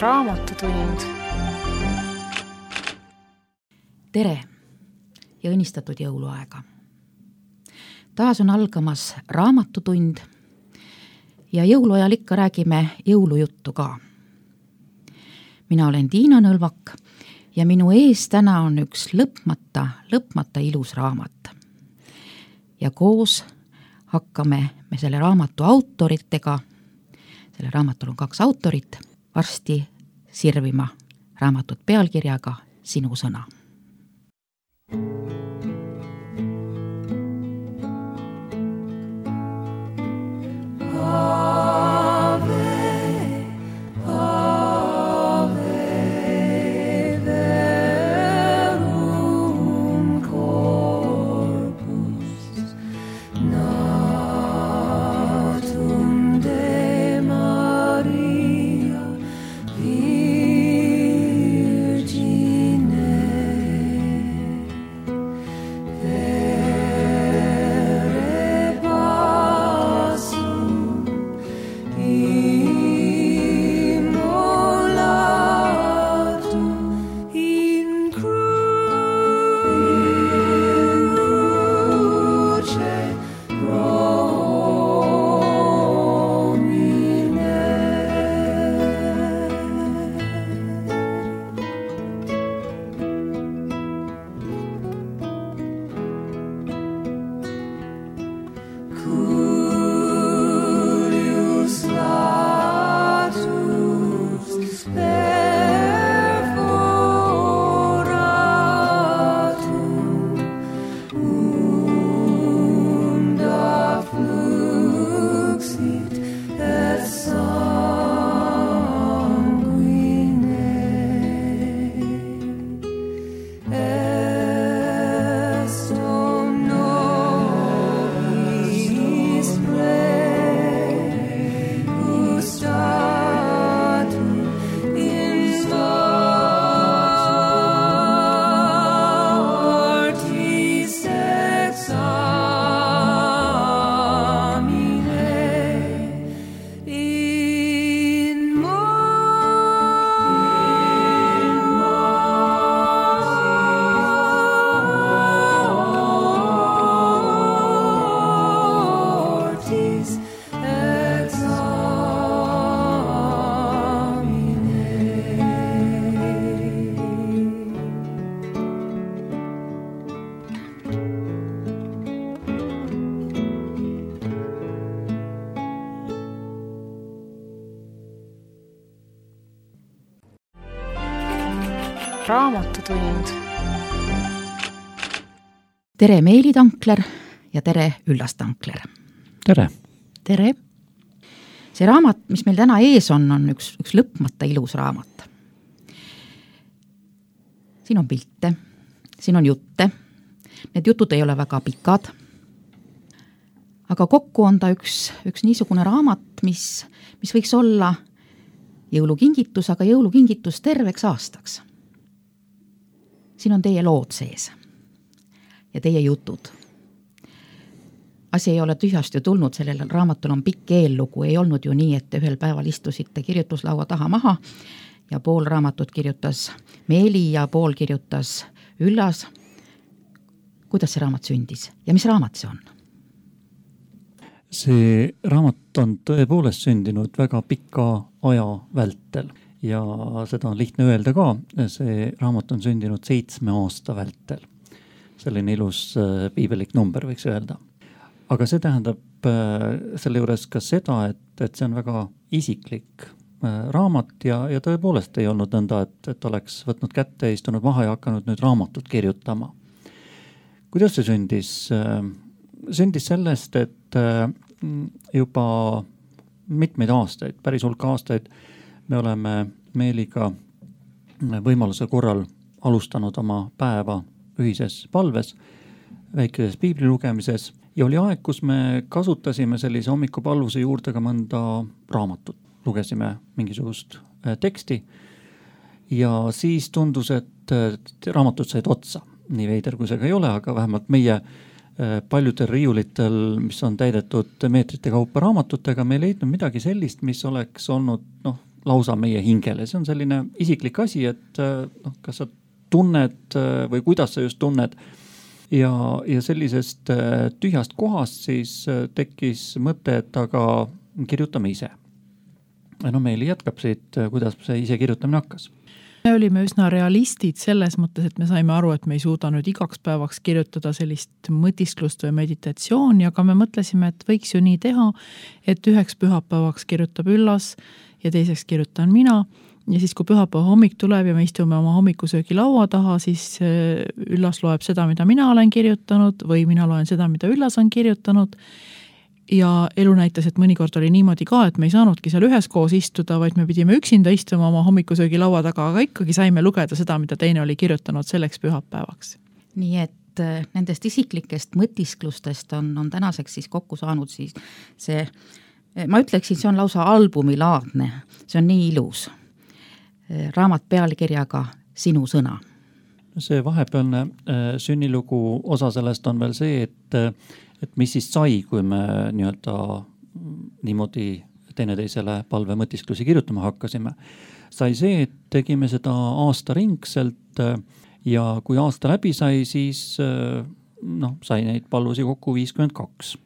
Raamatutund. Tere ja õnnistatud jõuluaega. Taas on algamas raamatutund ja jõuluajal ikka räägime jõulujuttu ka. Mina olen Tiina Nõlvak ja minu ees täna on üks lõpmata ilus raamat. Ja koos hakkame me selle raamatu autoritega, selle raamatul on 2 autorit, varsti sirvima raamatut pealkirjaga Sinu sõna. Raamatutund. Tere Meeli Tankler ja tere Üllas Tankler. Tere. Tere. See raamat, mis meil täna ees on üks lõpmata ilus raamat. Siin on pilte, siin on jutte. Need jutud ei ole väga pikad. Aga kokku on ta üks niisugune raamat, mis võiks olla jõulukingitus, aga jõulukingitus terveks aastaks. Siin on teie lood sees ja teie jutud. Asi ei ole tühjast ju tulnud, sellel raamatul on pikk eellugu, ei olnud ju nii, et ühel päeval istusite kirjutuslaua taha maha ja pool raamatut kirjutas Meeli ja pool kirjutas Üllas. Kuidas see raamat sündis ja mis raamat see on? See raamat on tõepoolest sündinud väga pika aja vältel. Ja seda on lihtne öelda ka, see raamat on sündinud 7 aasta vältel. Selline ilus piibelik number võiks öelda. Aga see tähendab selle juures ka seda, et see on väga isiklik raamat ja tõepoolest ei olnud nõnda, et oleks võtnud kätte, istunud maha ja hakanud nüüd raamatut kirjutama. Kuidas see sündis? Sündis sellest, et juba mitmeid aastaid, päris hulk aastaid me oleme Meeliga võimaluse korral alustanud oma päeva ühises palves, väikeses piibli lugemises ja oli aeg, kus me kasutasime sellise hommikupalvuse juurde ka mõnda raamatut. Lugesime mingisugust teksti ja siis tundus, et raamatud said otsa. Nii veider kui see ka ei ole, aga vähemalt meie paljudel riiulitel, mis on täidetud meetrite kaupa raamatutega, me ei leidnud midagi sellist, mis oleks olnud lausa meie hingele. See on selline isiklik asi, et kas sa tunned või kuidas sa just tunned. Ja sellisest tühjast kohast siis tekkis mõte, et aga kirjutame ise. Meeli jätkab siit, kuidas see ise kirjutamine hakkas. Me olime üsna realistid selles mõttes, et me saime aru, et me ei suuda nüüd igaks päevaks kirjutada sellist mõtisklust või meditatsiooni, aga me mõtlesime, et võiks ju nii teha, et üheks pühapäevaks kirjutab Üllas ja teiseks kirjutan mina. Ja siis, kui pühapäeva hommik tuleb ja me istume oma hommikusöögi laua taha, siis Üllas loeb seda, mida mina olen kirjutanud või mina loen seda, mida Üllas on kirjutanud. Ja elu näitas, et mõnikord oli niimoodi ka, et me ei saanudki seal üheskoos istuda, vaid me pidime üksinda istuma oma hommikusöögi laua taga, aga ikkagi saime lugeda seda, mida teine oli kirjutanud selleks pühapäevaks. Nii et nendest isiklikest mõtisklustest on tänaseks siis kokku saanud siis see, ma ütleksin, see on lausa albumilaadne, see on nii ilus. Raamat pealkirjaga Sinu sõna. See vahepealne sünnilugu osa sellest on veel see, et mis siis sai, kui me niimoodi teineteisele palve mõtisklusi kirjutama hakkasime. Sai see, et tegime seda aastaringselt ja kui aasta läbi sai, siis sai neid palvusi kokku 52.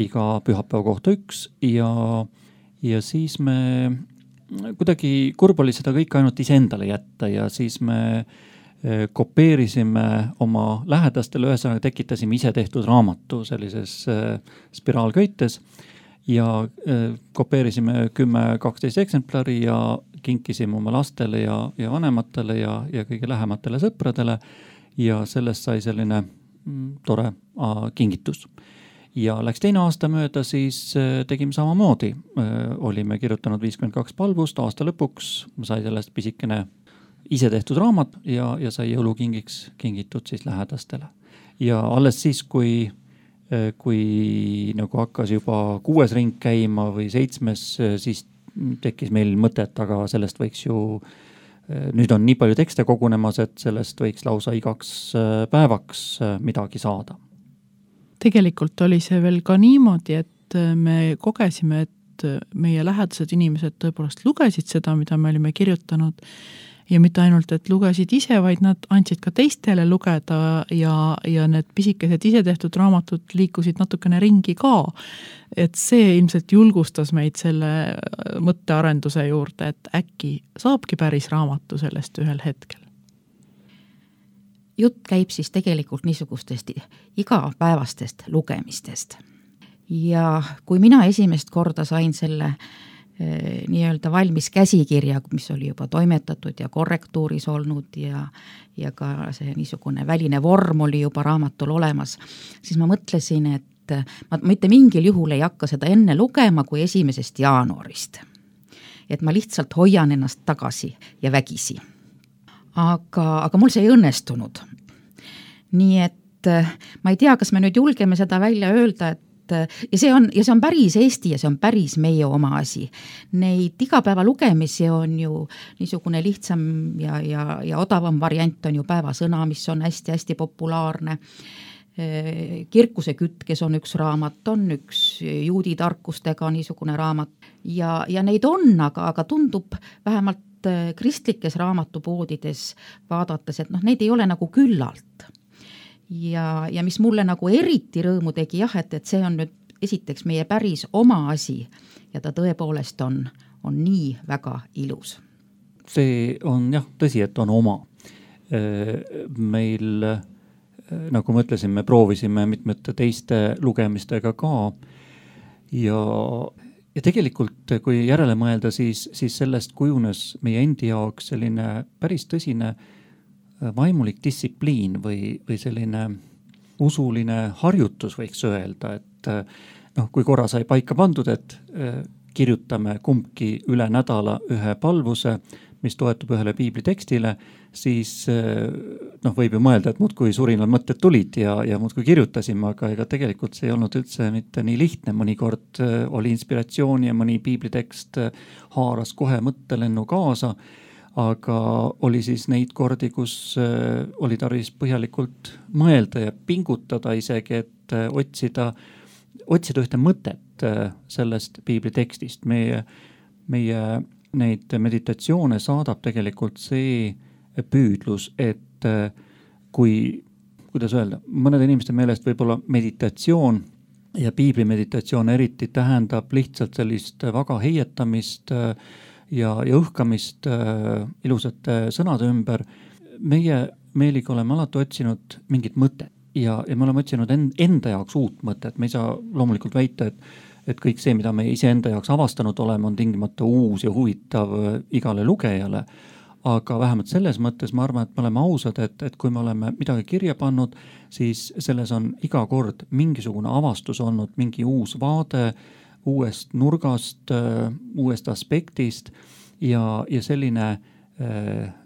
Iga pühapäeva kohta 1 ja siis me kuidagi kurb oli seda kõik ainult iseendale jätta ja siis me kopeerisime oma lähedastele, ühesõnaga tekitasime ise tehtud raamatu sellises spiraalköites ja kopeerisime 10-12 eksemplari ja kinkisime oma lastele ja vanematele ja kõige lähematele sõpradele ja sellest sai selline tore kingitus. Ja läks teine aasta mööda, siis tegime samamoodi. Olime kirjutanud 52 palvust, aasta lõpuks sai sellest pisikene ise tehtud raamat ja sai jõulukingiks kingitud siis lähedastele. Ja alles siis, kui nagu hakkas juba 6. ring käima või 7, siis tekkis meil mõtet, aga sellest võiks ju, nüüd on nii palju tekste kogunemas, et sellest võiks lausa igaks päevaks midagi saada. Tegelikult oli see veel ka niimoodi, et me kogesime, et meie lähedased inimesed tõepoolest lugesid seda, mida me olime kirjutanud ja mitte ainult, et lugesid ise, vaid nad andsid ka teistele lugeda ja need pisikesed ise tehtud raamatud liikusid natukene ringi ka. Et see ilmselt julgustas meid selle mõttearenduse juurde, et äkki saabki päris raamatu sellest ühel hetkel. Jutt käib siis tegelikult niisugustest igapäevastest lugemistest. Ja kui mina esimest korda sain selle nii-öelda valmis käsikirja, mis oli juba toimetatud ja korrektuuris olnud ja ka see niisugune väline vorm oli juba raamatul olemas, siis ma mõtlesin, et ma mitte mingil juhul ei hakka seda enne lugema kui 1. jaanuarist. Et ma lihtsalt hoian ennast tagasi ja vägisi. Aga mul see ei õnnestunud. Nii et ma ei tea, kas me nüüd julgeme seda välja öelda, ja see on päris Eesti ja see on päris meie oma asi. Neid igapäeva lugemisi on ju niisugune lihtsam ja odavam variant on ju päevasõna, mis on hästi-hästi populaarne. Kirkuse kütkes on üks raamat, on üks juudi tarkustega niisugune raamat ja neid on, aga tundub vähemalt kristlikes raamatupoodides vaadates, et neid ei ole nagu küllalt. Ja mis mulle nagu eriti rõõmu tegi, et see on nüüd esiteks meie päris oma asi ja ta tõepoolest on nii väga ilus. See on tõsi, et on oma. Meil, nagu ma ütlesin, me proovisime mitmete teiste lugemistega ka ja tegelikult, kui järele mõelda, siis sellest kujunes meie endi jaoks selline päris tõsine vaimulik distsipliin või selline usuline harjutus võiks öelda, et kui korra sai paika pandud, et kirjutame kumbki üle nädala ühe palvuse, mis toetub ühele piiblitekstile, siis võib ju mõelda, et muudkui surinal mõtted tulid ja muudkui kirjutasime, aga ega tegelikult see ei olnud üldse mitte nii lihtne. Mõnikord oli inspiratsiooni ja mõni piiblitekst haaras kohe mõttelennu kaasa, aga oli siis neid kordi, kus oli tarvis põhjalikult mõelda ja pingutada isegi, et otsida ühte mõtet sellest piiblitekstist. Meie neid meditatsioone saadab tegelikult see püüdlus, et kuidas öelda, mõnede inimeste meelest võib-olla meditatsioon ja piibli meditatsioon eriti tähendab lihtsalt sellist vaga heietamist ja õhkamist ilusate sõnade ümber. Meie Meeliga oleme alati otsinud mingit mõtet ja me oleme otsinud enda jaoks uut mõtet. Me ei saa loomulikult väita, et kõik see, mida me iseenda jaoks avastanud oleme, on tingimata uus ja huvitav igale lugejale. Aga vähemalt selles mõttes ma arvan, et me oleme ausad, et kui me oleme midagi kirja pannud, siis selles on iga kord mingisugune avastus olnud, mingi uus vaade uuest nurgast, uuest aspektist ja selline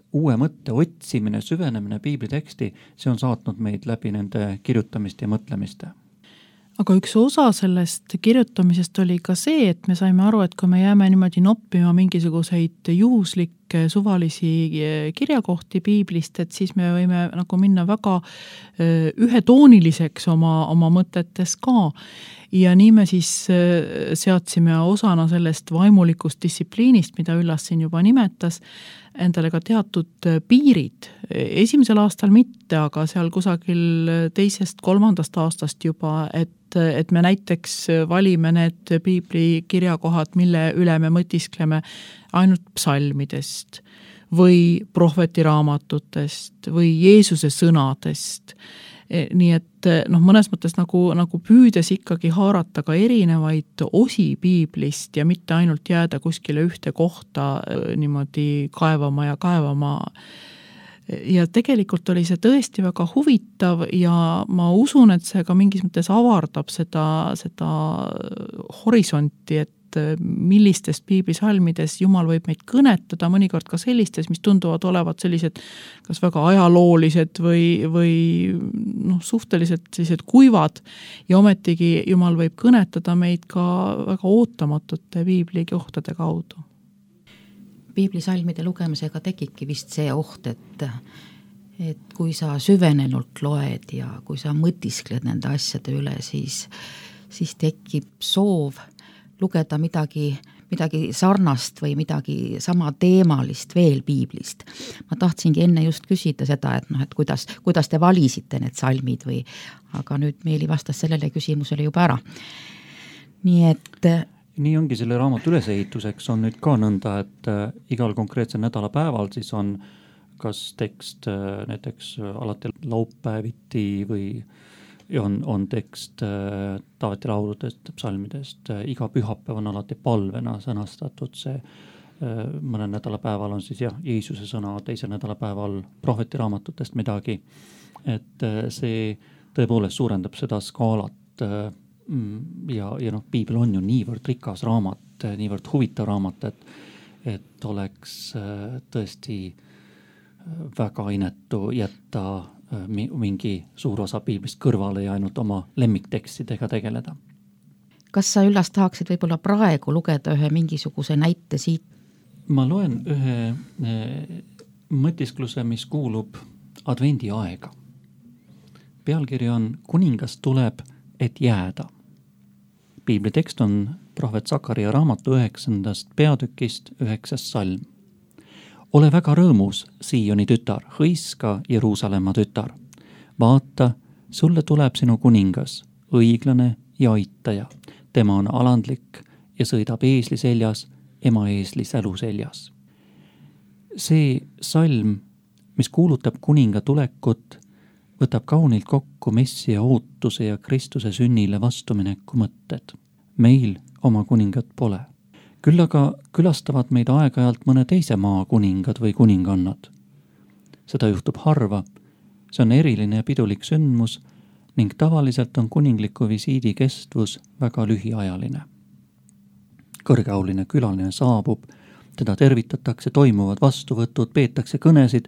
uue mõtte otsimine, süvenemine piibliteksti, see on saatnud meid läbi nende kirjutamist ja mõtlemist. Aga üks osa sellest kirjutamisest oli ka see, et me saime aru, et kui me jääme niimoodi noppima mingisuguseid juhuslikke suvalisi kirjakohti piiblist, et siis me võime nagu minna väga ühetooniliseks oma mõtetes ka. Ja nii me siis seadsime osana sellest vaimulikust distsipliinist, mida Üllas siin juba nimetas, endale ka teatud piirid. Esimesel aastal mitte, aga seal kusagil 2.–3. aastast juba, et me näiteks valime need piibli kirjakohad, mille üle me mõtiskleme ainult psalmidest või prohvetiraamatutest või Jeesuse sõnadest. Nii et mõnes mõttes nagu püüdes ikkagi haarata ka erinevaid osi piiblist ja mitte ainult jääda kuskile ühte kohta niimoodi kaevama. Ja tegelikult oli see tõesti väga huvitav ja ma usun, et see ka mingis mõttes avardab seda horisonti, et millistest piiblisalmides Jumal võib meid kõnetada, mõnikord ka sellistes, mis tunduvad olevat sellised kas väga ajaloolised või suhteliselt sellised kuivad ja ometigi Jumal võib kõnetada meid ka väga ootamatute piiblikohtade kaudu. Piiblisalmide lugemisega tekibki vist see oht, et kui sa süvenenult loed ja kui sa mõtiskled nende asjade üle, siis tekib soov lugeda midagi sarnast või midagi sama teemalist veel piiblist. Ma tahtsingi enne just küsida seda, et kuidas te valisite need salmid aga nüüd Meeli vastas sellele küsimusele juba ära. Nii ongi selle raamatu ülesehituseks on nüüd ka nõnda, et igal konkreetsel nädalapäeval siis on kas tekst näiteks alati laupäeviti või on tekst Taaveti lauludest, psalmidest. Iga pühapäev on alati palvena sõnastatud see. Mõnel nädalapäeval on siis Jeesuse sõna, teisel nädalapäeval prohvetiraamatutest midagi. Et see tõepoolest suurendab seda skaalat ja piibel on ju niivõrd rikas raamat, niivõrd huvitav raamat, et oleks tõesti väga inetu jätta mingi suur osa piiblist kõrvale ja ainult oma lemmiktekstidega tegeleda. Kas sa Üllas tahaksid võib-olla praegu lugeda ühe mingisuguse näite siit? Ma loen ühe mõtiskluse, mis kuulub advendi aega. Pealkiri on Kuningas tuleb, et jääda. Piibli tekst on prohvet Sakaria raamatu 9. peatükist 9. salm. Ole väga rõõmus, Sioni tütar, hõiska Jeruusalemma tütar. Vaata, sulle tuleb sinu kuningas, õiglane ja aitaja. Tema on alandlik ja sõidab eesli seljas, ema eesli sälu seljas. See salm, mis kuulutab kuninga tulekut, võtab kaunilt kokku Messia ootuse ja Kristuse sünnile vastumineku mõtted. Meil oma kuningat pole. Küll aga külastavad meid aeg-ajalt mõne teise maa kuningad või kuningannad. Seda juhtub harva, see on eriline ja pidulik sündmus ning tavaliselt on kuningliku visiidi kestvus väga lühiajaline. Kõrgeauline külaline saabub, teda tervitatakse, toimuvad vastuvõtud, peetakse kõnesid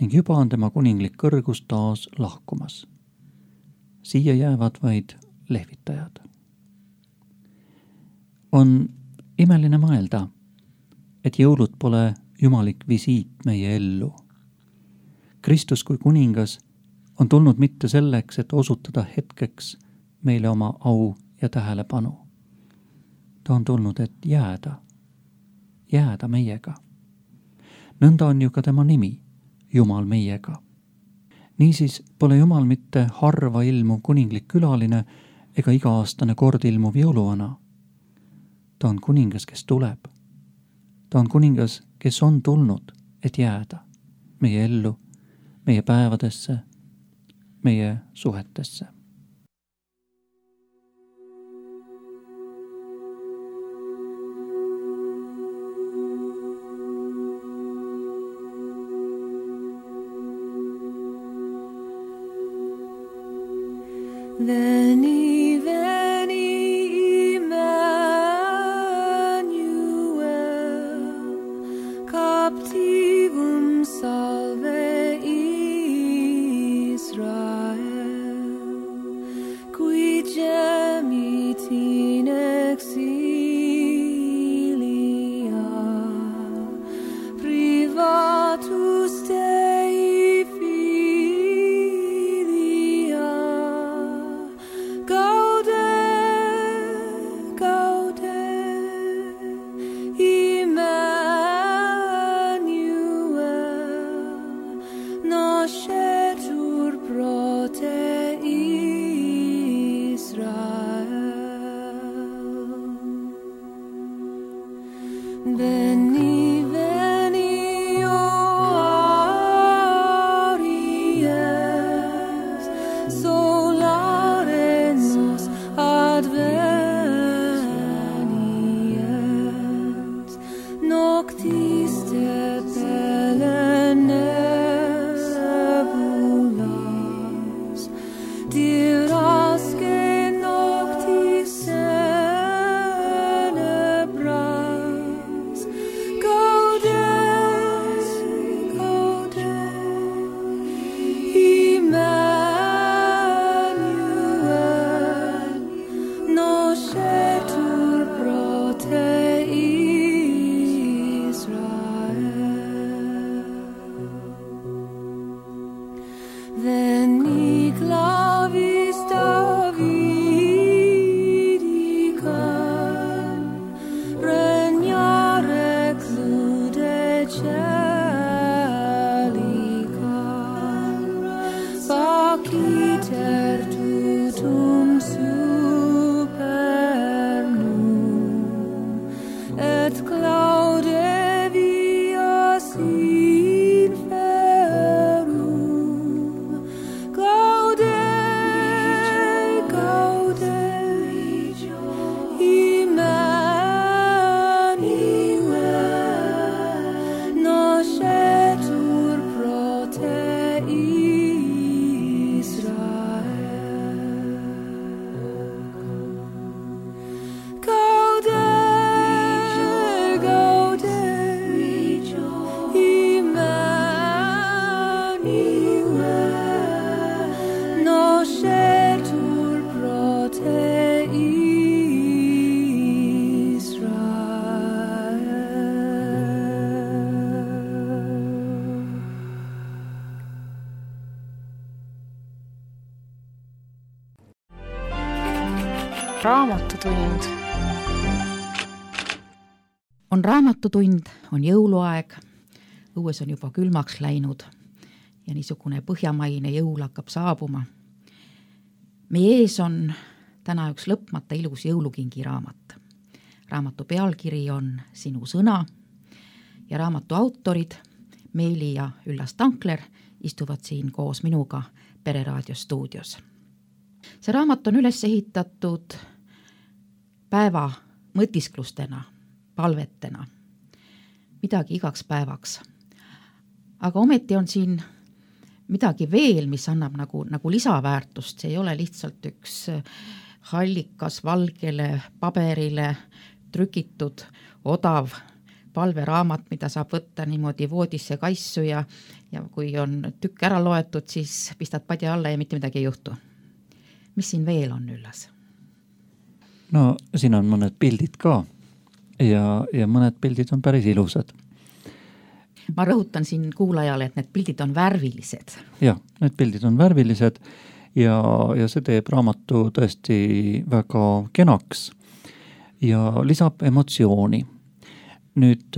ning juba on tema kuninglik kõrgus taas lahkumas. Siia jäävad vaid lehvitajad. On imeline mõelda, et jõulud pole jumalik visiit meie ellu. Kristus kui kuningas on tulnud mitte selleks, et osutada hetkeks meile oma au ja tähelepanu. Ta on tulnud, et jääda. jääda meiega. Nõnda on ju ka tema nimi, Jumal meiega. Niisiis pole Jumal mitte harva ilmuv kuninglik külaline ega iga-aastane kord ilmuv jõuluvana. Ta on kuningas, kes tuleb. Ta on kuningas, kes on tulnud, et jääda meie ellu, meie päevadesse, meie suhetesse. Veni, veni, Emmanuel, captivum salve Israel, qui gemit in exilia, privatus Dei filia. Gaude, gaude, Emmanuel, nascetur pro te Israel. Veni, veni, o Aries, solare nos adveniens, noctis te nebulas, diras que noctis tenebras. Gaudes, gaude, Emmanuel, nascetur pro te Israel. Veni clavis Davidicam, regnare clude celicam, faciter tutum supernum, et claude vias inferum. Gaude, gaude, Emmanuel, nascetur pro te Israel. Gaude, gaude, Emmanuel, nascetur pro te Israel. Raamatutund. On raamatutund, on jõuluaeg, õues on juba külmaks läinud ja niisugune põhjamaine jõul hakkab saabuma. Meie ees on täna üks lõpmata ilus jõulukingi raamat. Raamatu pealkiri on Sinu sõna ja raamatu autorid Meeli ja Üllas Tankler istuvad siin koos minuga Pereraadio stuudios. See raamat on üles ehitatud päeva mõtisklustena, palvetena, midagi igaks päevaks. Aga ometi on siin midagi veel, mis annab nagu lisaväärtust, see ei ole lihtsalt üks hallikas valgele paberile trükitud odav palveraamat, mida saab võtta niimoodi voodisse kaissu ja kui on tükk ära loetud, siis pistad padja alla ja mitte midagi ei juhtu. Mis siin veel on, Üllas? No siin on mõned pildid ka ja mõned pildid on päris ilusad. Ma rõhutan siin kuulajale, et need pildid on värvilised. Jah, need pildid on värvilised ja see teeb raamatu tõesti väga kenaks ja lisab emotsiooni. nüüd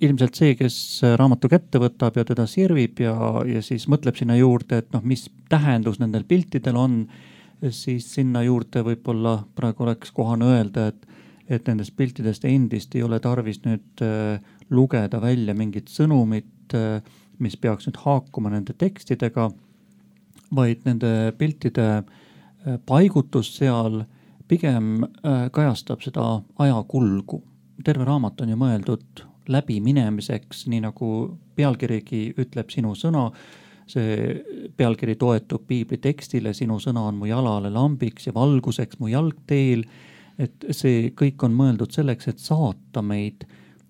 ilmselt see, kes raamatu kätte võtab ja teda sirvib ja siis mõtleb sinna juurde, et mis tähendus nendel piltidel on, siis sinna juurde võib-olla praegu oleks kohane öelda, et nendest piltidest endist ei ole tarvis nüüd lugeda välja mingit sõnumit, mis peaks nüüd haakuma nende tekstidega, vaid nende piltide paigutus seal pigem kajastab seda ajakulgu. Terve raamat on ju mõeldud läbiminemiseks, nii nagu pealkirigi ütleb sinu sõna. See pealkiri toetub piibli tekstile, sinu sõna on mu jalale lambiks ja valguseks mu jalgteel. Et see kõik on mõeldud selleks, et saata meid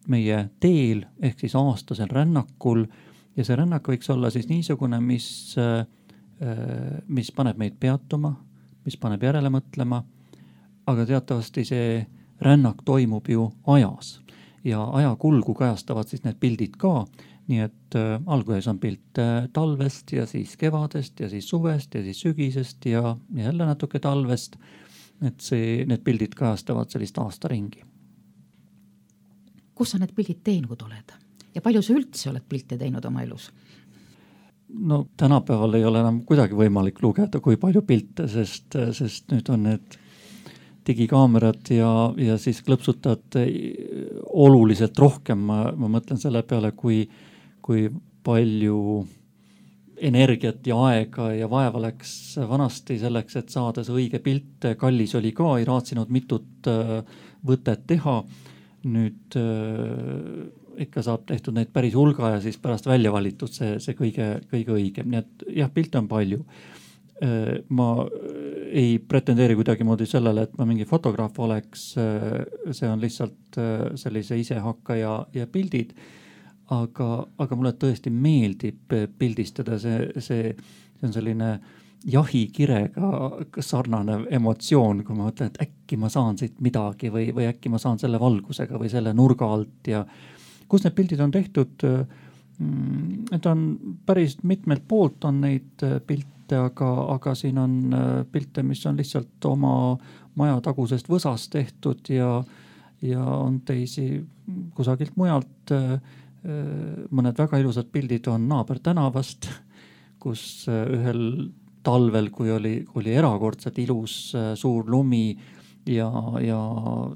meie teel ehk siis aastasel rännakul. Ja see rännak võiks olla siis niisugune, mis paneb meid peatuma, mis paneb järele mõtlema, aga teatavasti see rännak toimub ju ajas ja ajakulgu kajastavad siis need pildid ka, nii et alguses on pilt talvest ja siis kevadest ja siis suvest ja siis sügisest ja jälle natuke talvest, et need pildid kajastavad sellist aastaringi. Kus sa need pildid teinud oled ja palju sa üldse oled pilte teinud oma elus? No tänapäeval ei ole enam kuidagi võimalik lugeda, kui palju pilte, sest nüüd on need digikaamerad ja siis klõpsutad oluliselt rohkem. Ma mõtlen selle peale, kui palju energiat ja aega ja vaeva läks vanasti selleks, et saada see õige pilt. Kallis oli ka, ei raatsinud mitut võtet teha. Nüüd ikka saab tehtud neid päris hulga ja siis pärast välja valitud see kõige õigem. Nii et jah, pilte on palju. Ma ei pretendeeri kuidagi moodi sellele, et ma mingi fotograaf oleks, see on lihtsalt sellise isehakkaja ja pildid, aga mulle tõesti meeldib pildistada, see on selline jahikirega sarnanev emotsioon, kui ma mõtlen, et äkki ma saan siit midagi või äkki ma saan selle valgusega või selle nurga alt ja kus need pildid on tehtud, et on päris mitmelt poolt on neid pilte, aga siin on pilte, mis on lihtsalt oma maja tagusest võsast tehtud ja on teisi kusagilt mujalt. Mõned väga ilusad pildid on naabertänavast, kus ühel talvel, kui oli erakordselt ilus suur lumi ja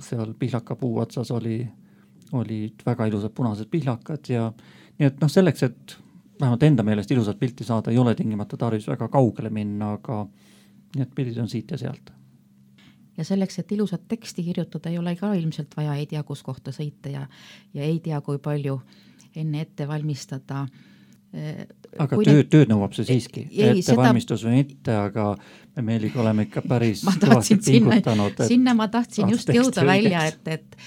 seal pihlakapuu otsas olid väga ilusad punased pihlakad ja nii et selleks, et vähemalt enda meelest ilusat pilti saada, ei ole tingimata tarvis väga kaugele minna, aga need pildid on siit ja sealt. Ja selleks, et ilusat teksti kirjutada, ei ole ka ilmselt vaja ei tea, kus kohta sõita ja ei tea, kui palju enne ette valmistada. Aga tööd nõuab see siiski, ettevalmistus on ette, aga me Meeliga oleme ikka päris kõvasti pingutanud. Sinna ma tahtsin just jõuda välja, et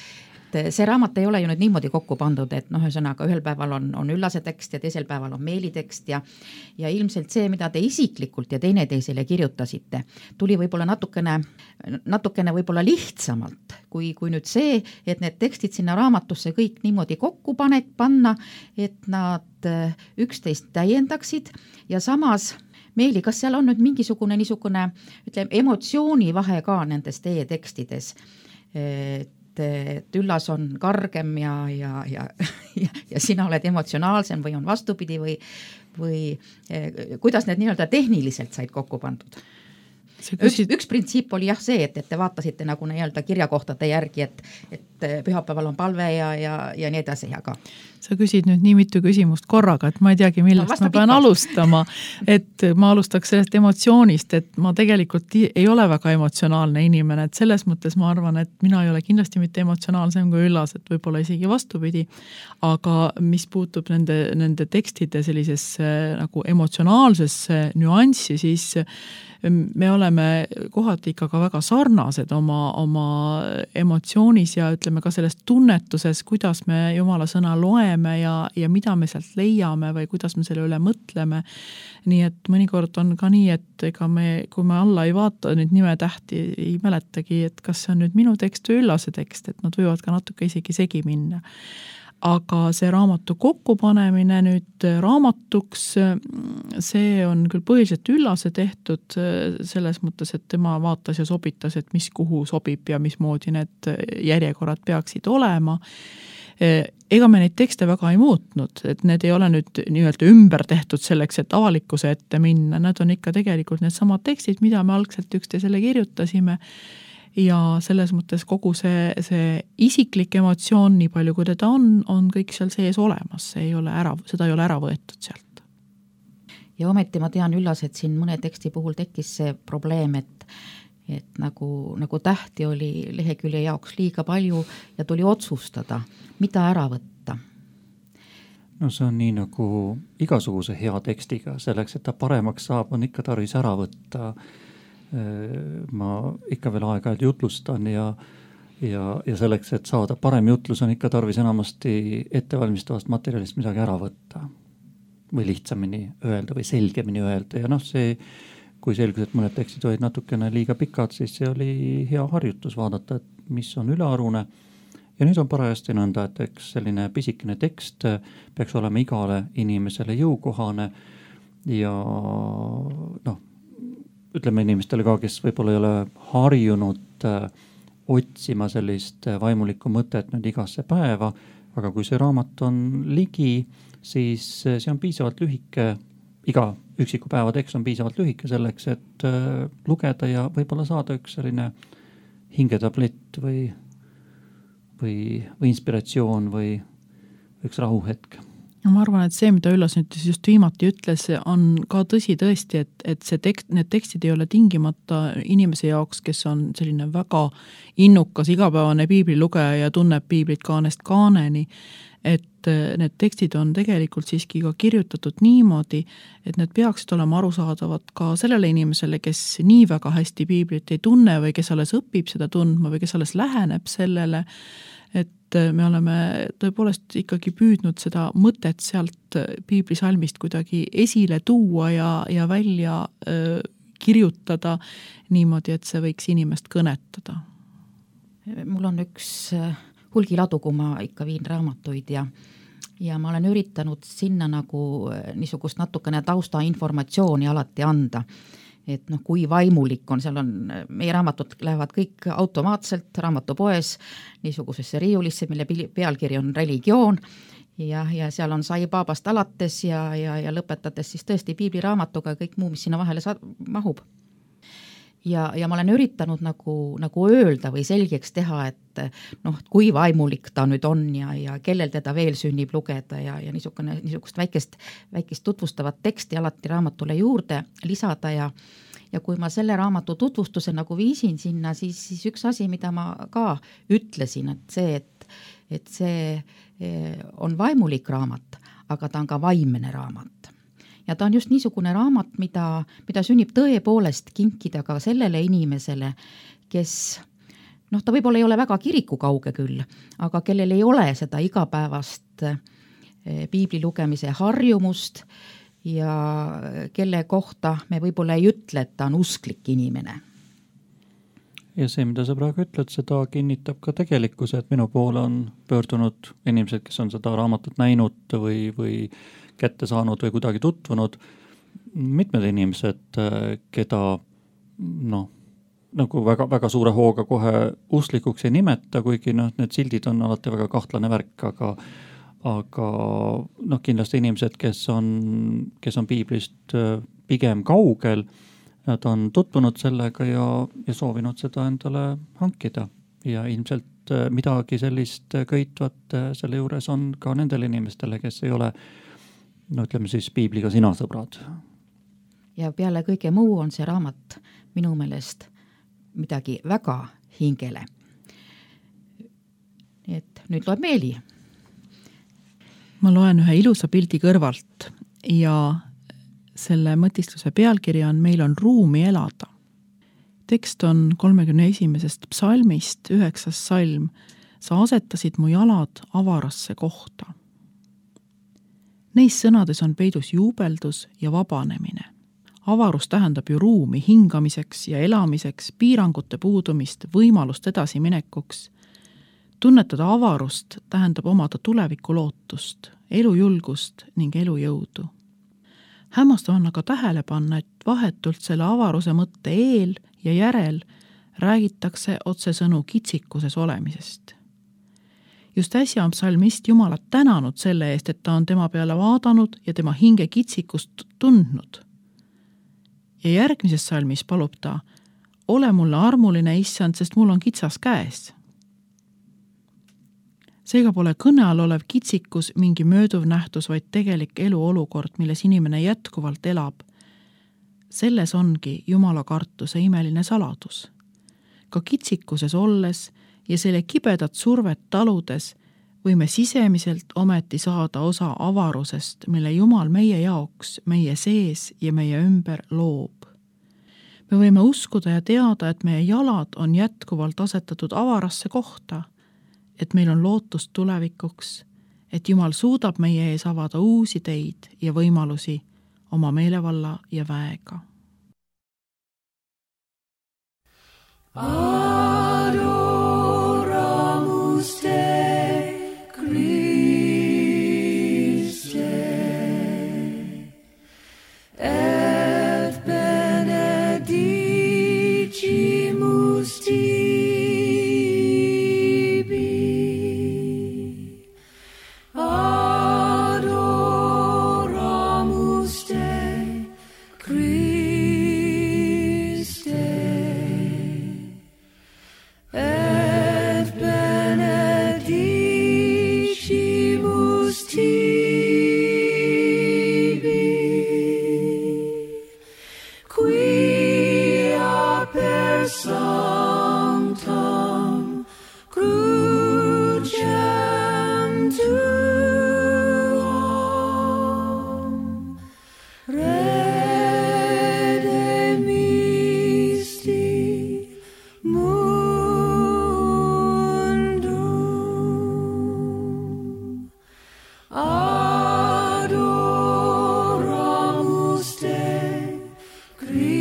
see raamat ei ole ju nüüd niimoodi kokku pandud, et ühesõnaga ühel päeval on Üllase tekst ja teisel päeval on Meeli tekst ja ilmselt see, mida te isiklikult ja teineteisele kirjutasite, tuli võib-olla natukene võib-olla lihtsamalt, kui nüüd see, et need tekstid sinna raamatusse kõik niimoodi kokku panna, et nad üksteist täiendaksid ja samas Meeli, kas seal on nüüd mingisugune niisugune, ütleme, emotsioonivahe ka nendes teie tekstides, et Üllas on kargem ja sina oled emotsionaalsem või on vastupidi või kuidas need nii-öelda tehniliselt said kokku pandud? Üks printsiip oli jah see, et te vaatasite nagu nii-öelda kirjakohtade järgi, et pühapäeval on palve ja nii edasi, aga sa küsid nüüd nii mitu küsimust korraga, et ma ei teagi, millest ma pean alustama, et ma alustaks sellest emotsioonist, et ma tegelikult ei ole väga emotsionaalne inimene, et selles mõttes ma arvan, et mina ei ole kindlasti mitte emotsionaalsem kui Üllas, et võib-olla isegi vastupidi, aga mis puutub nende tekstide sellisesse nagu emotsionaalsesse nüanssi, siis me oleme kohati ikka ka väga sarnased oma emotsioonis ja ütleme ka selles tunnetuses, kuidas me Jumala sõna loeme ja mida me sealt leiame või kuidas me selle üle mõtleme. Nii et mõnikord on ka nii, et kui me alla ei vaata nüüd nimetähti, ei mäletagi, et kas see on nüüd minu tekst või Üllase tekst, et nad võivad ka natuke isegi segi minna. Aga see raamatu kokkupanemine nüüd raamatuks, see on küll põhiliselt Üllase tehtud selles mõttes, et tema vaatas ja sobitas, et mis kuhu sobib ja mismoodi need järjekorrad peaksid olema. ega me neid tekste väga ei muutnud, et need ei ole nüüd nii-öelda ümber tehtud selleks, et avalikkuse ette minna, nad on ikka tegelikult need samad tekstid, mida me algselt üksteisele kirjutasime ja selles mõttes kogu see isiklik emotsioon, nii palju kui teda on kõik seal sees olemas, seda ei ole ära võetud sealt. Ja ometi ma tean, Üllas, et siin mõne teksti puhul tekkis see probleem, et nagu tähti oli lehekülje jaoks liiga palju ja tuli otsustada, mida ära võtta. No see on nii nagu igasuguse hea tekstiga, selleks, et ta paremaks saab, on ikka tarvis ära võtta. Ma ikka veel aeg-ajalt jutlustan ja selleks, et saada parem jutlus, on ikka tarvis enamasti ettevalmistavast materjalist midagi ära võtta. Või lihtsamini öelda või selgemini öelda ja see, kui selgus, et mõned tekstid olid natukene liiga pikad, siis see oli hea harjutus vaadata, et mis on ülearune. Ja nüüd on parajasti nõnda, et eks selline pisikene tekst peaks olema igale inimesele jõukohane ja ütleme inimestele ka, kes võib-olla ei ole harjunud otsima sellist vaimulikku mõtet nüüd igasse päeva, aga kui see raamat on ligi, siis see on piisavalt lühike, iga üksiku päeva tekst on piisavalt lühike selleks, et lugeda ja võib-olla saada üks selline hingetablett või inspiratsioon või üks rahuhetk. No ma arvan, et see, mida Üllas nüüd just viimati ütles, on ka tõsi tõesti, et need tekstid ei ole tingimata inimese jaoks, kes on selline väga innukas igapäevane piiblilugeja ja tunneb piiblit kaanest kaaneni, et need tekstid on tegelikult siiski ka kirjutatud niimoodi, et need peaksid olema arusaadavad ka sellele inimesele, kes nii väga hästi piiblit ei tunne või kes alles õpib seda tundma või kes alles läheneb sellele, et me oleme tõepoolest ikkagi püüdnud seda mõtet sealt piiblisalmist kuidagi esile tuua ja välja kirjutada niimoodi, et see võiks inimest kõnetada. Mul on üks hulgiladu, kui ma ikka viin raamatuid ja ma olen üritanud sinna nagu niisugust natukene taustainformatsiooni alati anda. Et kui vaimulik on, seal on, meie raamatud lähevad kõik automaatselt raamatupoes niisugusesse riiulisse, mille pealkiri on religioon ja seal on saipaabast alates ja lõpetades siis tõesti piibliraamatuga kõik muu, mis sinna vahele mahub. Ja ma olen üritanud nagu öelda või selgeks teha, et kui vaimulik ta nüüd on ja kellel teda veel sünnib lugeda ja niisugust väikest tutvustavat teksti alati raamatule juurde lisada ja kui ma selle raamatu tutvustuse nagu viisin sinna, siis üks asi, mida ma ka ütlesin, et see on vaimulik raamat, aga ta on ka vaimne raamat. Ja ta on just niisugune raamat, mida sünnib tõepoolest kinkida ka sellele inimesele, kes, ta võib-olla ei ole väga kiriku kauge küll, aga kellel ei ole seda igapäevast piibli lugemise harjumust ja kelle kohta me võib-olla ei ütle, et ta on usklik inimene. Ja see, mida sa praegu ütled, seda kinnitab ka tegelikkus, et minu poole on pöördunud inimesed, kes on seda raamatut näinud või kätte saanud või kuidagi tutvunud. Mitmed inimesed, keda nagu väga suure hooga kohe usklikuks ei nimeta, kuigi need sildid on alati väga kahtlane värk, aga kindlasti inimesed, kes on piiblist pigem kaugel, nad on tutvunud sellega ja soovinud seda endale hankida ja ilmselt midagi sellist köitvat selle juures on ka nendele inimestele, kes ei ole ütleme siis piibliga sina sõbrad. Ja peale kõige muu on see raamat minu meelest midagi väga hingele. Nii et nüüd loeb Meeli. Ma loen ühe ilusa pildi kõrvalt ja selle mõtistluse pealkiri on Meil on ruumi elada. Tekst on 31. psalmist, 9. salm. Sa asetasid mu jalad avarasse kohta. Neis sõnades on peidus juubeldus ja vabanemine. Avarus tähendab ju ruumi hingamiseks ja elamiseks, piirangute puudumist, võimalust edasiminekuks. Tunnetada avarust tähendab omada tuleviku lootust, elujulgust ning elujõudu. Hämmastav on aga tähele panna, et vahetult selle avaruse mõtte eel ja järel räägitakse otsesõnu kitsikuses olemisest. Just äsja on psalmist Jumalat tänanud selle eest, et ta on tema peale vaadanud ja tema hinge kitsikust tundnud. Ja järgmises psalmis palub ta, ole mulle armuline, issand, sest mul on kitsas käes. Seega pole kõne all olev kitsikus mingi mööduv nähtus, vaid tegelik eluolukord, milles inimene jätkuvalt elab. Selles ongi Jumala kartuse imeline saladus. Ka kitsikuses olles ja selle kibedat survet taludes võime sisemiselt ometi saada osa avarusest, mille Jumal meie jaoks, meie sees ja meie ümber loob. Me võime uskuda ja teada, et meie jalad on jätkuvalt asetatud avarasse kohta, et meil on lootust tulevikuks, et Jumal suudab meie ees avada uusi teid ja võimalusi oma meelevalla ja väega. Adoramus te, Christe, et benedicimus tibi. Adoramus te, Christe, et benedicimus tibi, quia per sanctam crucem tuam redemisti mundum. Adoramus te, Christe,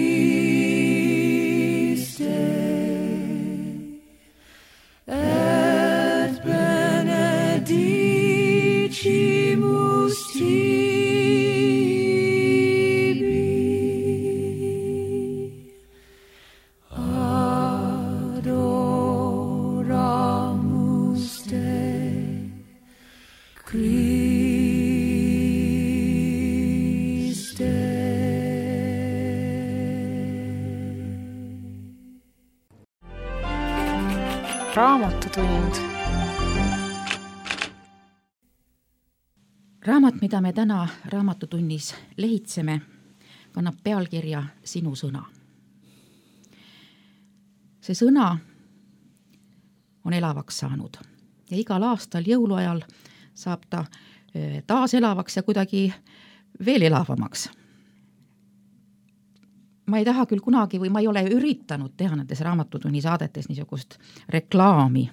et benedicimus tibi. Adoramus te, Christe. Raamatutund. Raamat, mida me täna raamatutunnis lehitseme, kannab pealkirja Sinu sõna. See sõna on elavaks saanud ja igal aastal jõuluajal saab ta taas elavaks ja kuidagi veel elavamaks. Ma ei taha küll kunagi või ma ei ole üritanud teha nendes raamatutunni saadetes niisugust reklaami,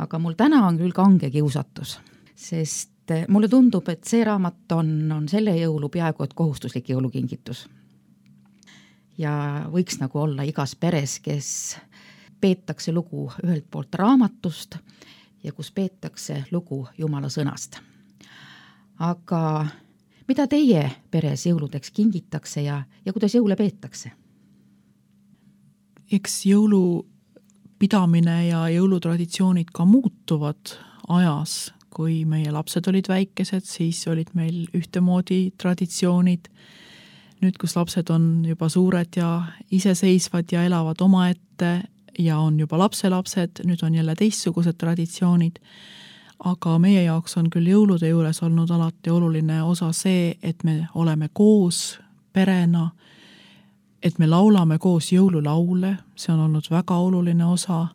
aga mul täna on küll kange kiusatus, sest mulle tundub, et see raamat on selle jõulu peaaegu et kohustuslik jõulukingitus. Ja võiks nagu olla igas peres, kes peetakse lugu ühelt poolt raamatust ja kus peetakse lugu Jumala sõnast. Aga mida teie peres jõuludeks kingitakse ja kuidas jõule peetakse? Eks jõulupidamine ja jõulutraditsioonid ka muutuvad ajas. Kui meie lapsed olid väikesed, siis olid meil ühtemoodi traditsioonid. Nüüd, kus lapsed on juba suured ja iseseisvad ja elavad omaette ja on juba lapselapsed, nüüd on jälle teistsugused traditsioonid. Aga meie jaoks on küll jõulude juures olnud alati oluline osa see, et me oleme koos perena, et me laulame koos jõululaule, see on olnud väga oluline osa.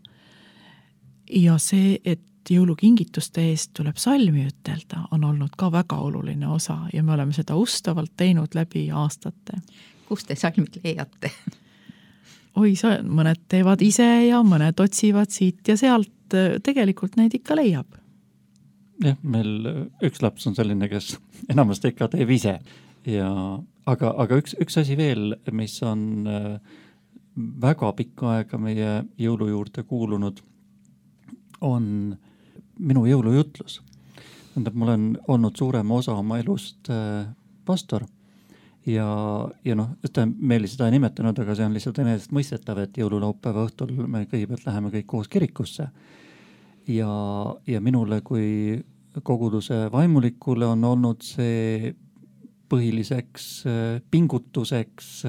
Ja see, et jõulukingituste eest tuleb salmi ütelda, on olnud ka väga oluline osa ja me oleme seda ustavalt teinud läbi aastate. Kust te salmid leiate? Oi, mõned teevad ise ja mõned otsivad siit ja sealt, tegelikult neid ikka leiab. Jah, meil üks laps on selline, kes enamasti ikka teeb ise. Aga üks asi veel, mis on väga pikka aega meie jõulu juurde kuulunud, on minu jõulujutlus. Ma olen olnud suurema osa oma elust pastor ja meil seda ei nimetanud, aga see on lihtsalt enesest mõistetav, et jõululaupäeva õhtul me kõigepealt läheme kõik koos kirikusse. ja minule kui koguduse vaimulikule on olnud see põhiliseks pingutuseks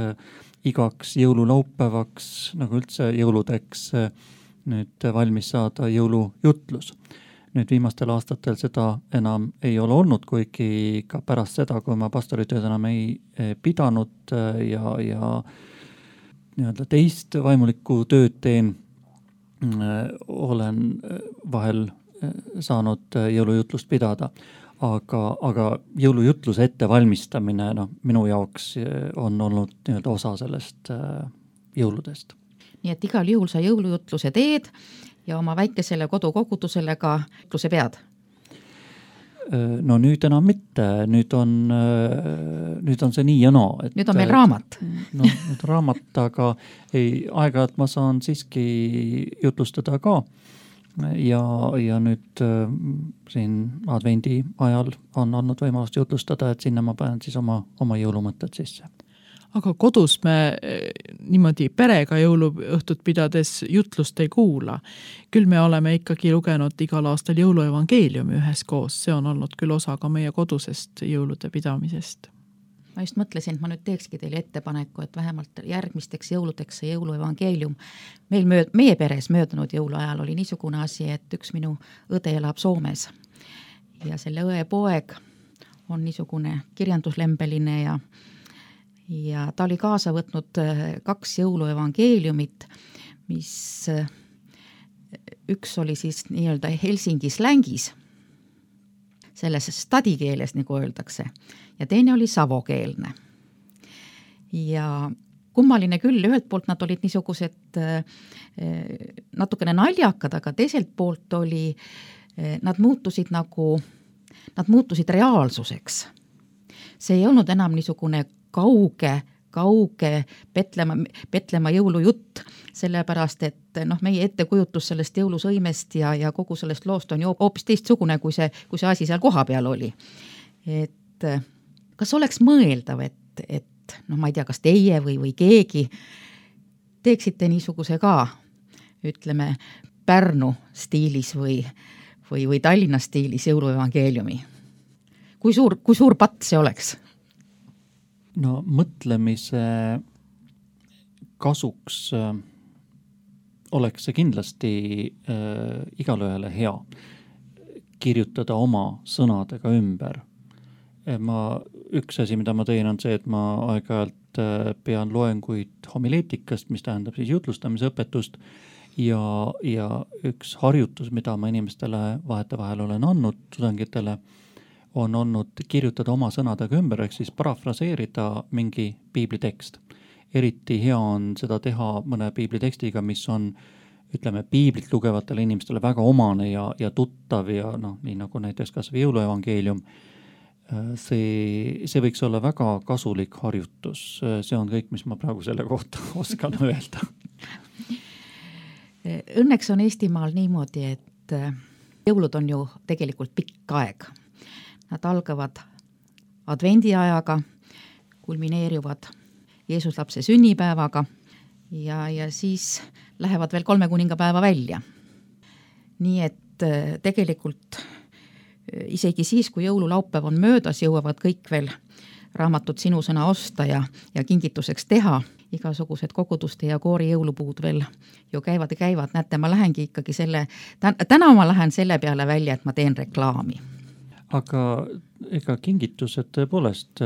igaks jõululaupäevaks, nagu üldse jõuludeks nüüd valmis saada jõulujutlus. Nüüd viimastel aastatel seda enam ei ole olnud, kuigi ka pärast seda, kui ma pastoritööd enam ei pidanud ja nii-öelda teist vaimulikku tööd teen, olen vahel saanud jõulujutlust pidada. Aga jõulujutluse ettevalmistamine minu jaoks on olnud nii-öelda osa sellest jõuludest. Nii et igal juhul sa jõulujutluse teed ja oma väikesele kodukogudusele ka jutluse pead? No nüüd enam mitte, nüüd on see nii ja naa. Nüüd on meil raamat. No nüüd raamat, aga aeg-ajalt ma saan siiski jutlustada ka. Ja nüüd siin advendi ajal on olnud võimalust jutlustada, et sinna ma panen siis oma jõulumõtted sisse. Aga kodus me niimoodi perega jõuluõhtut pidades jutlust ei kuula. Küll me oleme ikkagi lugenud igal aastal jõuluevangeeliumi üheskoos. See on olnud küll osa ka meie kodusest jõulude pidamisest. Ma just mõtlesin, et ma nüüd teekski teile ettepaneku, et vähemalt järgmisteks jõuludeks see jõuluevangeelium. Meie peres möödunud jõuluajal oli niisugune asi, et üks minu õde elab Soomes ja selle õe poeg on niisugune kirjanduslembeline ja ta oli kaasa võtnud 2 jõuluevangeeliumit, mis üks oli siis nii-öelda Helsingi slängis, selles stadikeeles, nagu öeldakse, ja teine oli savokeelne. Ja kummaline küll, ühelt poolt nad olid niisugused natukene naljakad, aga teiselt poolt nad muutusid reaalsuseks. See ei olnud enam niisugune kauge Petlema jõulujutt, sellepärast, et meie ettekujutus sellest jõulusõimest ja kogu sellest loost on ju hoopis teistsugune, kui see asi seal koha peal oli. Et kas oleks mõeldav, et ma ei tea, kas teie või keegi teeksite niisuguse ka, ütleme, Pärnu stiilis või Tallinna stiilis jõuluevangeeliumi? Kui suur patt see oleks? No mõtlemise kasuks oleks see kindlasti igalühele hea kirjutada oma sõnadega ümber. Üks asi, mida ma teen, on see, et ma aeg-ajalt pean loenguid homileetikast, mis tähendab siis jutlustamise õpetust ja üks harjutus, mida ma inimestele vahetevahel olen andnud tudengitele, on olnud kirjutada oma sõnadega ümber, ehk siis parafraseerida mingi piiblitekst. Eriti hea on seda teha mõne piiblitekstiga, mis on, ütleme, piiblit lugevatele inimestele väga omane ja tuttav ja nii nagu näiteks kas või jõuluevangeelium. See võiks olla väga kasulik harjutus. See on kõik, mis ma praegu selle kohta oskan öelda. Õnneks on Eestimaal niimoodi, et jõulud on ju tegelikult pikk aeg. Nad algavad advendiajaga, kulmineerivad Jeesuslapse sünnipäevaga ja siis lähevad veel 3 kuningapäeva välja. Nii et tegelikult isegi siis, kui jõululaupäev on möödas, jõuavad kõik veel raamatut Sinu sõna osta ja kingituseks teha. Igasugused koguduste ja koori jõulupuud veel ju käivad. Näete, ma lähengi ikkagi täna ma lähen selle peale välja, et ma teen reklaami. Aga ega kingitused tõepoolest,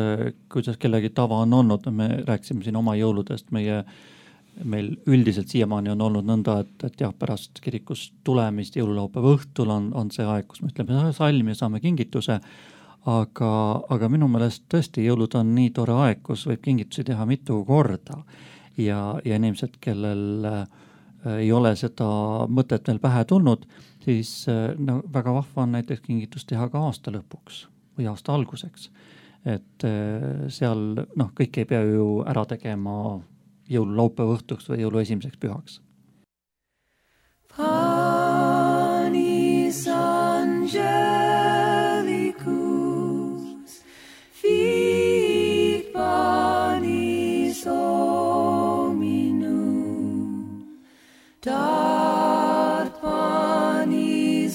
kuidas kellegi tava on olnud, me rääkisime siin oma jõuludest, meil üldiselt siiamaani on olnud nõnda, et jah, pärast kirikust tulemist jõululaupäeva õhtul on see aeg, kus me ütleme salmi ja saame kingituse, aga minu meelest tõesti jõulud on nii tore aeg, kus võib kingitusi teha mitu korda ja inimesed, kellel ei ole seda mõtet veel pähe tulnud, siis väga vahva on näiteks kingitus teha ka aasta lõpuks või aasta alguseks. Et seal kõik ei pea ju ära tegema jõululaupäeva õhtuks või jõulu esimeseks pühaks. Panis angelicus fit panis hominum dat panis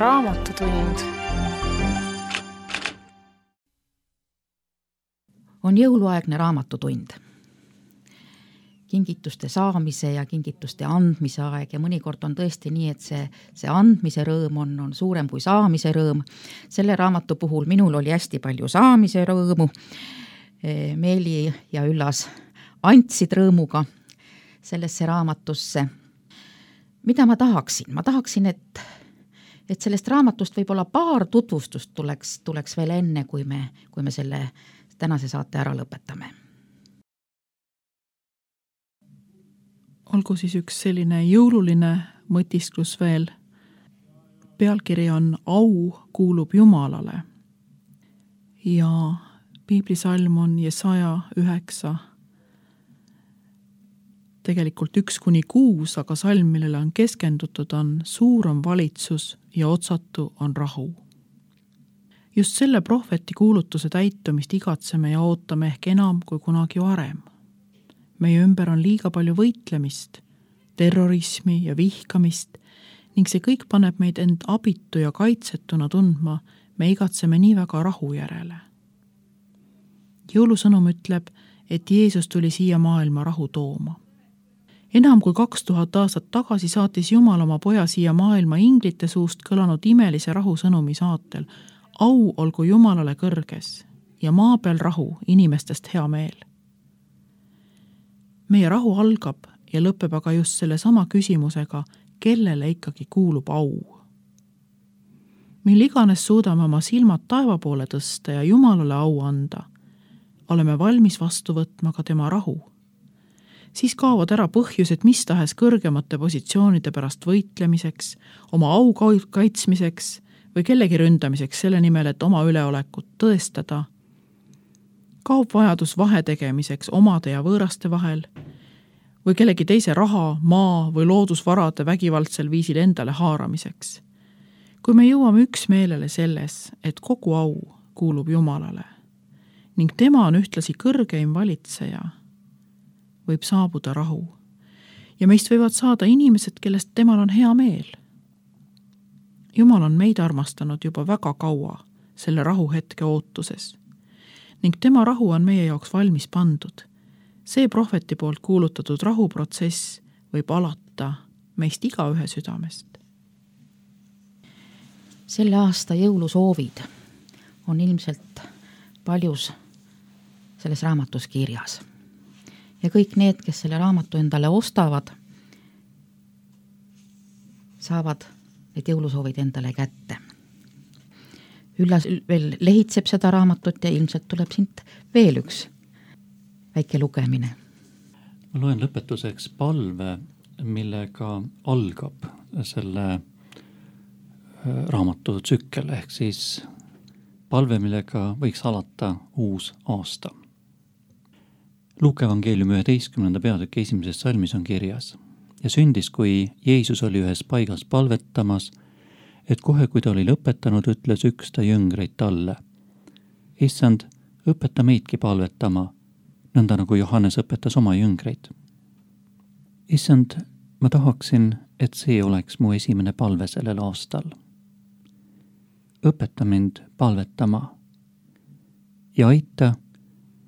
Raamatutund. On jõuluaegne raamatutund. Kingituste saamise ja kingituste andmise aeg ja mõnikord on tõesti nii, et see andmise rõõm on suurem kui saamise rõõm. Selle raamatu puhul minul oli hästi palju saamise rõõmu. Meeli ja Üllas andsid rõõmuga sellesse raamatusse. Mida ma tahaksin? Ma tahaksin, et sellest raamatust võib-olla paar tutvustust tuleks veel enne, kui me selle tänase saate ära lõpetame. Olgu siis üks selline jõululine mõtisklus veel. Pealkiri on Au kuulub Jumalale. Ja piiblisalm on Jesaja 9. Tegelikult 1-6, aga salm, millele on keskendutud, on Suur on valitsus ja otsatu on rahu. Just selle prohveti kuulutuse täitumist igatseme ja ootame ehk enam kui kunagi varem. Meie ümber on liiga palju võitlemist, terrorismi ja vihkamist ning see kõik paneb meid end abitu ja kaitsetuna tundma, me igatseme nii väga rahu järele. Jõulusõnum ütleb, et Jeesus tuli siia maailma rahu tooma. Enam kui 2000 aastat tagasi saatis Jumal oma poja siia maailma inglite suust kõlanud imelise rahusõnumi saatel. Au olgu Jumalale kõrges ja maa peal rahu, inimestest hea meel. Meie rahu algab ja lõpeb aga just selle sama küsimusega, kellele ikkagi kuulub au. Mil iganes suudame oma silmad taeva poole tõsta ja Jumalale au anda, oleme valmis vastu võtma ka tema rahu. Siis kaovad ära põhjused mis tahes kõrgemate positsioonide pärast võitlemiseks, oma au kaitsmiseks või kellegi ründamiseks selle nimel, et oma üleolekut tõestada. Kaob vajadus vahe tegemiseks omade ja võõraste vahel või kellegi teise raha, maa või loodusvarade vägivaldsel viisil endale haaramiseks. Kui me jõuame üksmeelele selles, et kogu au kuulub Jumalale ning tema on ühtlasi kõrgeim valitseja, võib saabuda rahu ja meist võivad saada inimesed, kellest temal on hea meel. Jumal on meid armastanud juba väga kaua selle rahuhetke ootuses ning tema rahu on meie jaoks valmis pandud. See prohveti poolt kuulutatud rahuprotsess võib alata meist igaühe südamest. Selle aasta jõulusoovid on ilmselt paljus selles raamatus kirjas. Ja kõik need, kes selle raamatu endale ostavad, saavad need jõulusoovid endale kätte. Üllas veel lehitseb seda raamatut ja ilmselt tuleb siit veel üks väike lugemine. Ma loen lõpetuseks palve, millega algab selle raamatu tsükkel, ehk siis palve, millega võiks alata uus aasta. Luuke evangeeliumi 11. peatüki 1. salmis on kirjas ja sündis, kui Jeesus oli ühes paigas palvetamas, et kohe, kui ta oli lõpetanud, ütles üks ta jüngreid talle. Issand, õpeta meidki palvetama, nõnda nagu Johannes õpetas oma jüngreid. Issand, ma tahaksin, et see oleks mu esimene palve sellel aastal. Õpeta mind palvetama ja aita,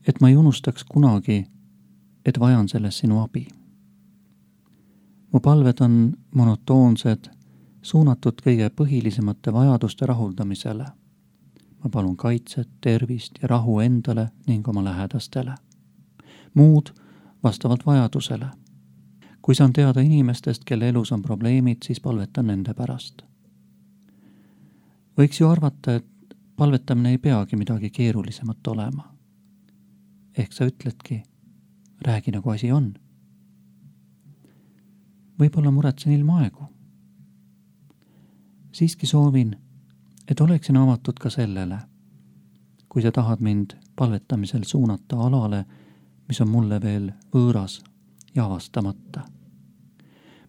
et ma ei unustaks kunagi, et vajan selles sinu abi. Mu palved on monotoonsed, suunatud kõige põhilisemate vajaduste rahuldamisele. Ma palun kaitset, tervist ja rahu endale ning oma lähedastele. Muud vastavalt vajadusele. Kui saan teada inimestest, kelle elus on probleemid, siis palvetan nende pärast. Võiks ju arvata, et palvetamine ei peagi midagi keerulisemat olema. Ehk sa ütledki, räägi nagu asi on. Võib-olla muretsen ilma aegu. Siiski soovin, et oleksin avatud ka sellele, kui sa tahad mind palvetamisel suunata alale, mis on mulle veel võõras ja avastamata.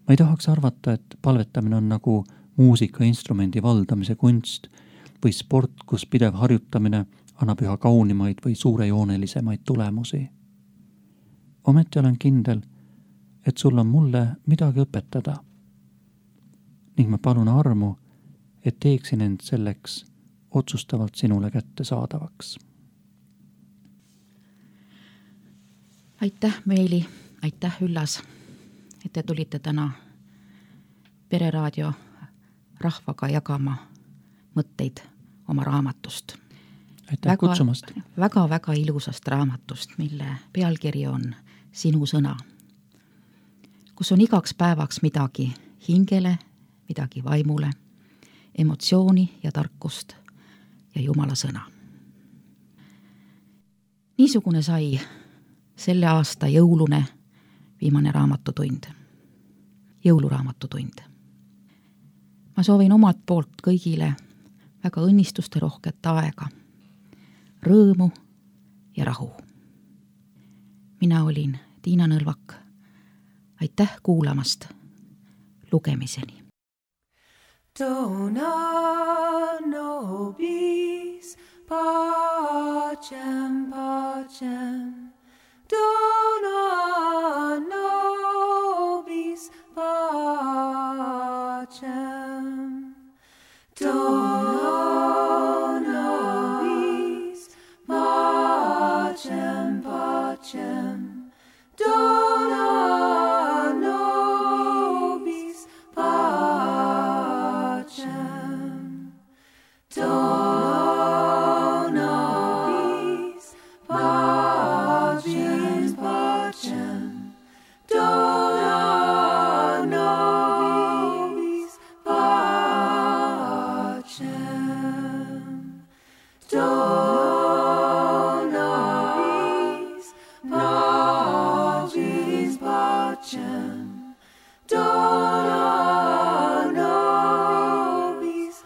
Ma ei tahaks arvata, et palvetamine on nagu muusikainstrumendi valdamise kunst või sport, kus pidev harjutamine annab üha kaunimaid või suurejoonelisemaid tulemusi. Ometi olen kindel, et sul on mulle midagi õpetada ning ma palun armu, et teeksin end selleks otsustavalt sinule kättesaadavaks. Aitäh, Meeli, aitäh, Üllas, et te tulite täna Pereraadio rahvaga jagama mõtteid oma raamatust. Aitäh kutsumast. Väga ilusast raamatust, mille pealkiri on Sinu sõna, kus on igaks päevaks midagi hingele, midagi vaimule, emotsiooni ja tarkust ja Jumala sõna. Niisugune sai selle aasta jõulune viimane raamatutund, jõuluraamatutund. Ma soovin omalt poolt kõigile väga õnnistuste rohket aega, rõõmu ja rahu. Mina olin Tiina Nõlvak. Aitäh kuulamast. Lugemiseni. Dona nobis pacem, pacem. Dona nobis pacem. Dona nobis pacem, pacem. Dona nobis pacem. Dona nobis pacem, pacem. Dona nobis pacem. Dona nobis pacem, pacem. Dona nobis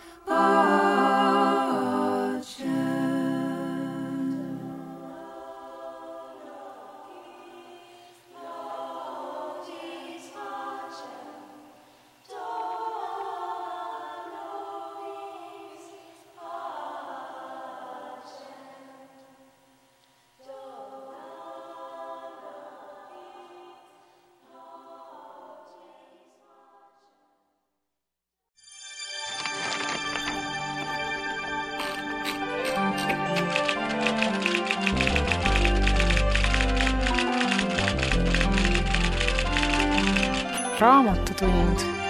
Raamatutund.